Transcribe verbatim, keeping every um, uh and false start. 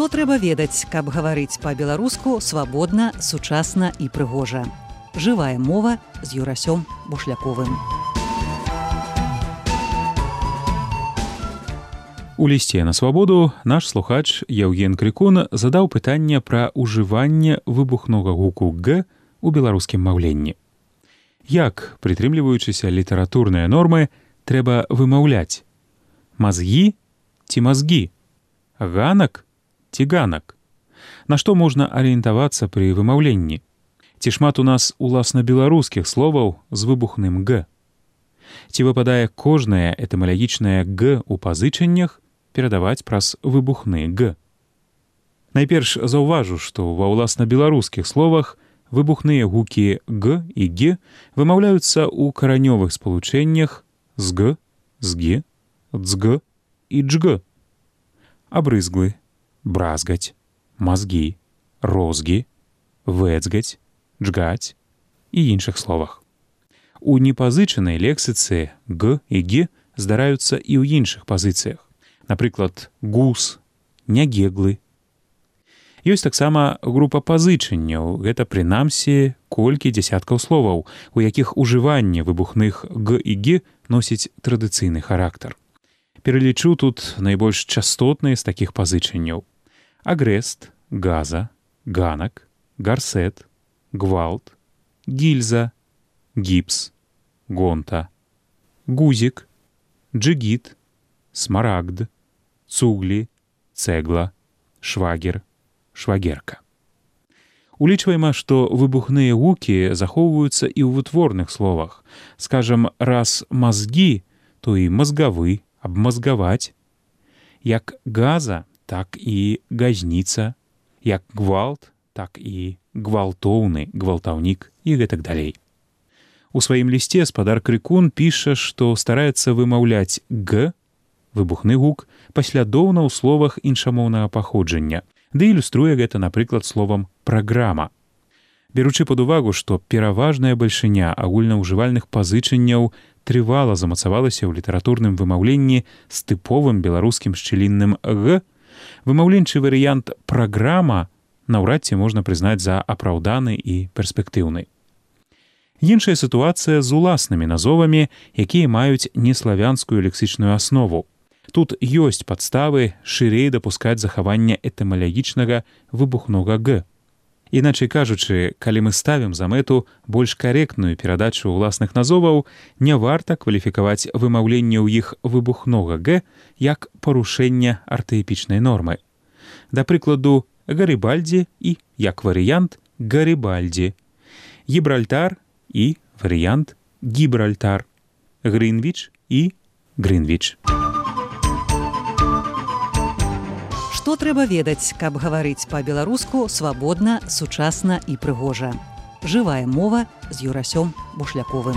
Што трэба ведаць, каб гаварыць па-беларуску свабодна, сучасна і прыгожа. Жывая мова з Юрасём Бушляковым. У лісце на свабоду наш слухач Яўген Крыкун задаў пытанне пра ўжыванне выбухнога гуку «г» у беларускім маўленні. Як, прытрымліваючыся літаратурныя нормы, трэба вымаўляць? Мазгі ці мазгі? Ганак ці ганак? На што можна арыентавацца пры вымаўленні? Ці шмат у нас уласна беларускіх словаў з выбухным «г»? Ці выпадае кожнае этымалагічнае «г» у пазычаннях перадаваць праз выбухны «г»? Найперш заўважу, што ва ўласна беларускіх словах выбухныя гукі «г» і «г» вымаўляюцца ў каранёвых спалучэннях «зг», «зг», «дзг» і «джг». Абрызглы, бразгаць, мазгі, розгі, вэцгаць, джгаць і іншых словах. У непазычанай лексіцы «г» і «г» здараюцца і ў іншых пазіцыях. Напрыклад, гус, нягеглы. Ёсць таксама група пазычанняў, гэта прынамсі колькі дзясяткаў словаў, у якіх ужыванне выбухных «г» і «г» носіць традыцыйны характар. Пералічу тут найбольш частотныя з такіх пазычанняў: агрэст, газа, ганак, гарсет, гвалт, гільза, гіпс, гонта, гузік, джигіт, смарагд, цуглі, цэгла, швагер, швагерка. Улічваем, што выбухныя гукі захоўваюцца і ў вытворных словах. Скажам, раз мазгі, то і мазгавы, абмазгаваць. Як газа, так і газніца. Як гвалт, так і гвалтоўны, гвалтаўнік і гэтак далей. У сваім лісце спадар Крыкун піша, што стараецца вымаўляць «г», выбухны гук, паслядоўна ў словах іншамоўнага паходжання, ды ілюструе гэта, напрыклад, словам «праграма». Беручы пад увагу, што пераважная бальшыня агульнаўжывальных пазычанняў трывала замацавалася ў літаратурным вымаўленні з тыповым беларускім шчылінным «г», вымаўленчы варыянт «праграма» наўрад ці можна прызнаць за апраўданы і перспектыўны. Іншая сітуацыя з уласнымі назовамі, якія маюць неславянскую лексічную аснову. Тут ёсць падставы шырэй дапускаць захаванне этымалагічнага выбухнога «г». Іначай кажучы, калі мы ставім за мэту больш карэктную перадачу ўласных назоваў, не варта кваліфікаваць вымаўленне ў іх выбухнога «г» як парушэнне артаэпічнай нормы. Да прыкладу, Гарыбальдзі і, як варыянт, Гарыбальдзі, Гібральтар і варыянт Гібральтар, Грынвіч і Грынвіч. Што трэба ведаць, каб гаварыць па-беларуску свабодна, сучасна і прыгожа. Жывая мова з Юрасём Бушляковым.